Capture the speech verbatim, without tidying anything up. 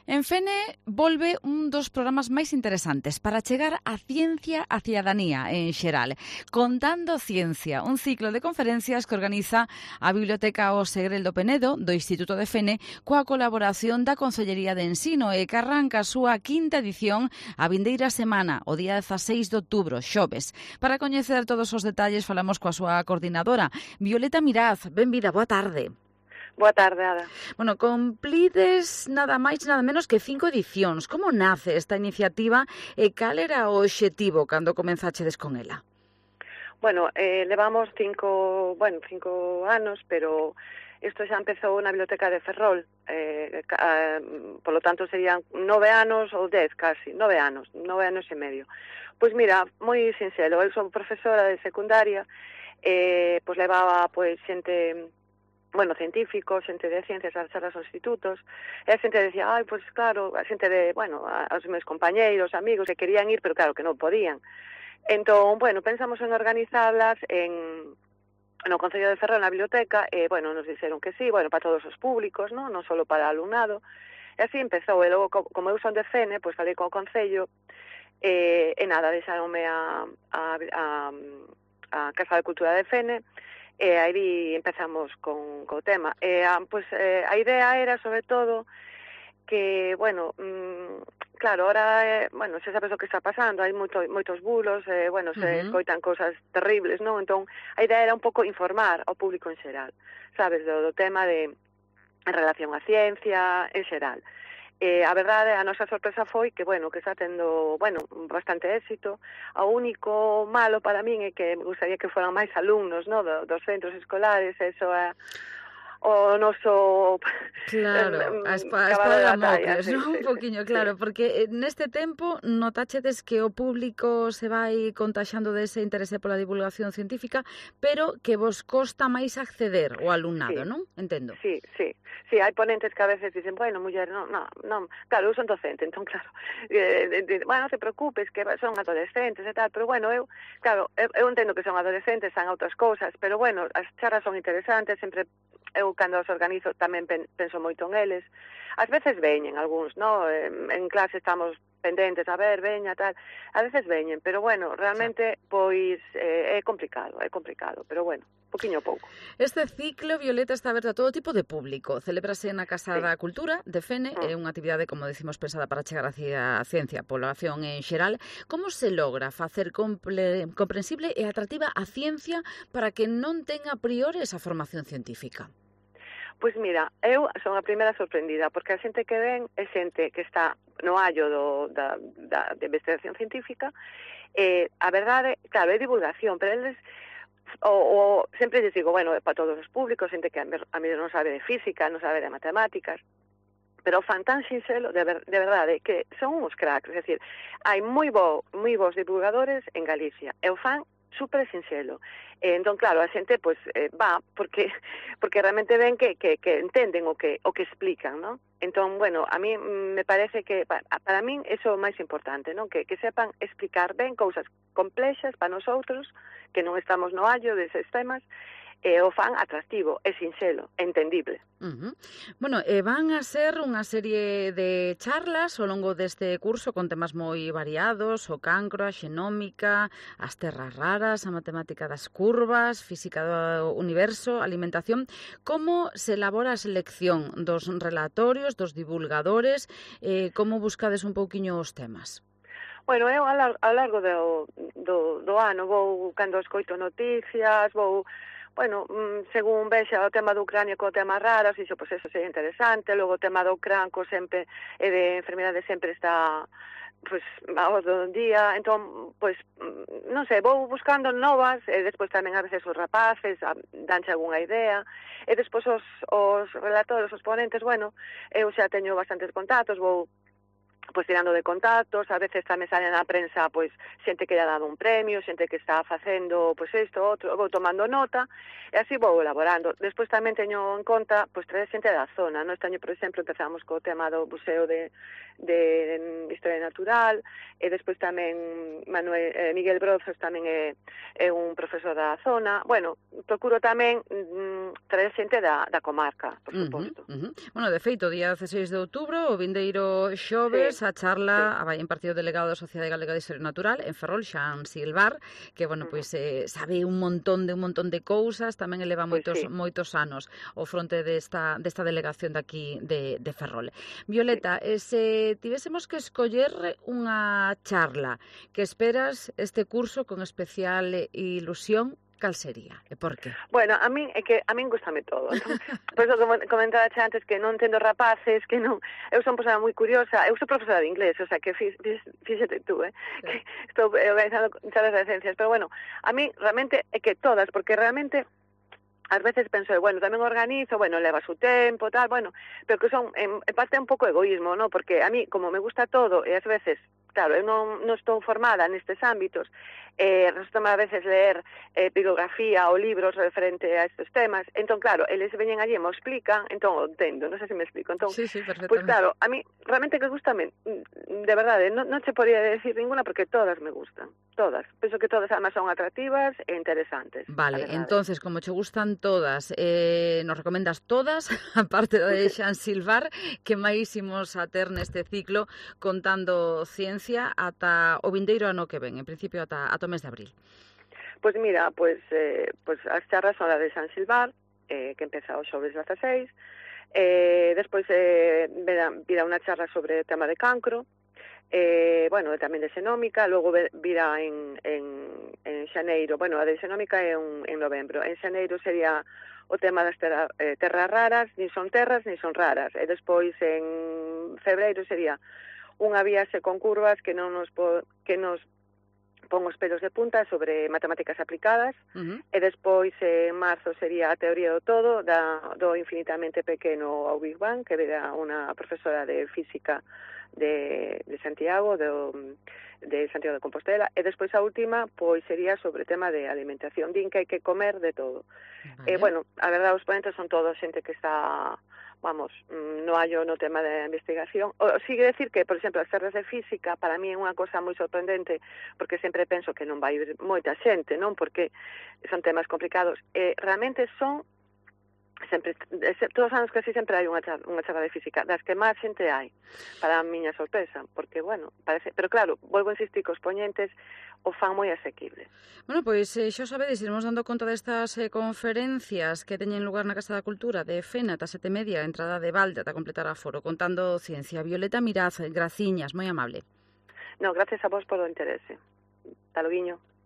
En Fene volve un dos programas máis interesantes para chegar a ciencia a cidadanía en xeral. Contando Ciencia, un ciclo de conferencias que organiza a Biblioteca O Segrel do Penedo do Instituto de Fene coa colaboración da Consellería de Ensino e que arranca a súa quinta edición a vindeira semana, o día dezaseis de outubro, xoves. Para coñecer todos os detalles falamos coa súa coordinadora, Violeta Miraz. Benvida, boa tarde. Boa tarde, Ada. Bueno, cumplides nada máis nada menos que cinco edicións. Como nace esta iniciativa e cal era o obxectivo cando comenzachedes con ela? Bueno, eh, levamos cinco, bueno, cinco anos, pero isto xa empezou na Biblioteca de Ferrol. Eh, eh, polo tanto, serían nove anos ou dez, casi, nove anos, nove anos e medio. Pois mira, moi sinxelo, eu sou profesora de secundaria, eh, pois levaba pois xente... bueno, científicos, xente de ciencias ás charlas aos institutos, e a xente decía, ai, pois claro, a xente de, bueno, aos meus compañeiros, amigos, que querían ir, pero claro, que non podían. Entón, bueno, pensamos en organizarlas en no Concello de Ferrol, na biblioteca, e, bueno, nos dixeron que sí, bueno, para todos os públicos, non, non só para alumnado, e así empezou, e logo, como eu son de Fene, pois falei co Concello, e, e nada, deixaronme a, a, a, a Casa de Cultura de Fene, e aí empezamos con, con o tema. E, a, pues, eh, a idea era, sobre todo, que, bueno, mmm, claro, ahora, eh, bueno, se sabes o que está pasando, hai moito, moitos bulos, eh, bueno, se uh-huh. escoitan cousas terribles, non? Entón, a idea era un pouco informar ao público en xeral, sabes, do, do tema de en relación á ciencia en xeral. Eh, a verdade, a nosa sorpresa foi que, bueno, que está tendo, bueno, bastante éxito. O único malo para min é que me gustaría que foran máis alumnos, no, do, dos centros escolares, eso é o noso... Claro, a espada, a espada de Damocles, sí, non? Sí, un poquinho, claro, sí. Porque neste tempo notachedes que o público se vai contaxando dese interese pola divulgación científica, pero que vos costa máis acceder ao alumnado, sí. Non? Entendo. Sí, sí. Sí, hai ponentes que a veces dicen, bueno, muller, non, non, non, claro, eu son docente, entón, claro, eh, de, de, bueno, non te preocupes, que son adolescentes e tal, pero, bueno, eu, claro, eu, eu entendo que son adolescentes, son outras cousas, pero, bueno, as charlas son interesantes, sempre, eu, cando os organizo, tamén pen, penso moito en eles. Ás veces veñen algúns, no? En, en clase estamos pendentes, a ver, veña, tal, a veces veñen, pero, bueno, realmente, pois, eh, é complicado, é complicado, pero, bueno, poquinho pouco. Este ciclo, Violeta, está aberto a todo tipo de público. Celébrase na Casa sí. da Cultura de Fene, é mm. unha actividade, como decimos, pensada para chegar hacia a ciencia, a población en xeral. Como se logra facer comple- comprensible e atractiva a ciencia para que non tenga a priori esa formación científica? Pois mira, eu son a primeira sorprendida, porque a xente que ven é xente que está no hallo do, da, da de investigación científica, e a verdade, claro, é divulgación, pero eles O, o sempre les digo, bueno, para todos os públicos, xente que a mí non sabe de física, non sabe de matemáticas, pero fan tan sinxelo, de, ver, de verdade, que son uns cracks, é dicir, hai moi bo, moi bons divulgadores en Galicia, e o fan super sinxelo. E, entón, claro, a xente, pois, eh, va, porque porque realmente ven que, que, que entenden o que o que explican, non? Entón, bueno, a mí me parece que, para, para min, eso é o máis importante, non? Que, que sepan explicar ben cousas complexas para nosotros, que non estamos no hallo deses temas, e o fan atractivo, é sinxelo, entendible. Uh-huh. Bueno, eh, van a ser unha serie de charlas ao longo deste curso con temas moi variados, o cancro, a xenómica, as terras raras, a matemática das curvas, física do universo, alimentación. Como se elabora a selección dos relatorios, dos divulgadores? Eh, como buscades un pouquiño os temas? Bueno, eu ao largo do, do, do ano vou, cando escoito noticias, vou, bueno, según vexa o tema do Ucrania co tema raras, iso, pois, eso sería interesante, logo o tema do cranco sempre, e de enfermidade sempre está, pois, ao do día, entón, pois, non sei, vou buscando novas, e despois tamén a veces os rapaces, danche algunha idea, e despois os, os relatores, os ponentes, bueno, eu xa teño bastantes contactos, vou pois tirando de contactos, a veces tamén sale na prensa pois xente que lle ha dado un premio, xente que está facendo pois isto, outro, vou tomando nota e así vou elaborando. Despois tamén teño en conta pois traer xente da zona, no? Este año, por exemplo, empezamos co tema do Museo de, de Historia Natural e despois tamén Manuel, eh, Miguel Brozos tamén é, é un profesor da zona. Bueno, procuro tamén mm, traer xente da, da comarca, por suposto. Uh -huh, uh -huh. Bueno, de feito, día dieciséis de outubro, o vindeiro xoves, sí. a charla sí. vai impartido o delegado da Sociedade Galega de Historia Natural en Ferrol, Xan Silvar, que, bueno, pois eh, sabe un montón de un montón de cousas, tamén eleva Pois moitos sí. moitos anos ao fronte desta desta delegación de aquí de de Ferrol. Violeta, sí. se tivésemos que escoller unha charla que esperas este curso con especial ilusión, cal sería e por qué? Bueno, a min é que a min gustame todo. Entón, por eso como comentaba antes que non entendo rapaces, que non, eu son persona moi curiosa, eu sou profesora de inglés, o sea, que fíxate tú, eh, sí. que estou organizando charlas de ciencias, pero bueno, a mí realmente é que todas, porque realmente ás veces penso, bueno, tamén organizo, bueno, leva su tempo, tal, bueno, pero que son, en, en parte un pouco egoísmo, ¿no? Porque a mí, como me gusta todo, e ás veces, claro, eu non, non estou formada nestes ámbitos, eh, resulta a veces leer eh, bibliografía ou libros referente a estes temas, entón, claro, eles veñen allí e me explican, entón o entendo, non sei se me explico, entón, sí, sí, perfectamente. Pues claro, a mí realmente que gustame, de verdade, non, non che podría decir ninguna porque todas me gustan, todas, penso que todas además son atractivas e interesantes. Vale, entonces, como che gustan todas, eh, nos recomendas todas, aparte de Xan Silvar, que máis imos a ter neste ciclo contando ciencia ata o vindeiro ano que ven, en principio ata, ata o mes de abril? Pois pues mira, pois pues, eh, pues as charlas son a de Xan Silvar, eh, que empeza o xoves dezaseis, eh, despois eh, virá, virá unha charla sobre o tema de cancro, eh, bueno, tamén de xenómica, logo virá en, en, en xaneiro, bueno, a de xenómica é un, en novembro, en xaneiro sería o tema das terra, eh, terras raras, nin son terras, nin son raras, e despois en febreiro sería unha viaxe con curvas que non nos po, que nos pon os pelos de punta sobre matemáticas aplicadas, uh-huh. e despois en marzo sería a teoría do todo, da, do infinitamente pequeno ao Big Bang, que verá unha profesora de física de, de Santiago, de, de Santiago de Compostela, e despois a última pois sería sobre o tema de alimentación, din que hai que comer de todo. Vale. E, bueno, a verdade, os ponentes son todos xente que está, vamos, no hallo no tema de investigación. O, sigue decir que, por exemplo, as terras de física para mí é unha cosa moi sorprendente, porque sempre penso que non vai ir moita xente, non? Porque son temas complicados. E realmente son sempre, todos os anos que así sempre hai unha charla, unha charla de física, das que máis xente hai, para a miña sorpresa, porque, bueno, parece, pero claro, volvo a insistir que os poñentes o fan moi asequible. Bueno, pois eh, xa sabedes, iremos dando conta destas eh, conferencias que teñen lugar na Casa da Cultura de Fena ata sete e media, entrada de balde ata completar a foro, contando ciencia. Violeta Miraz, graciñas, moi amable. No, gracias a vos polo interese. Taloguiño.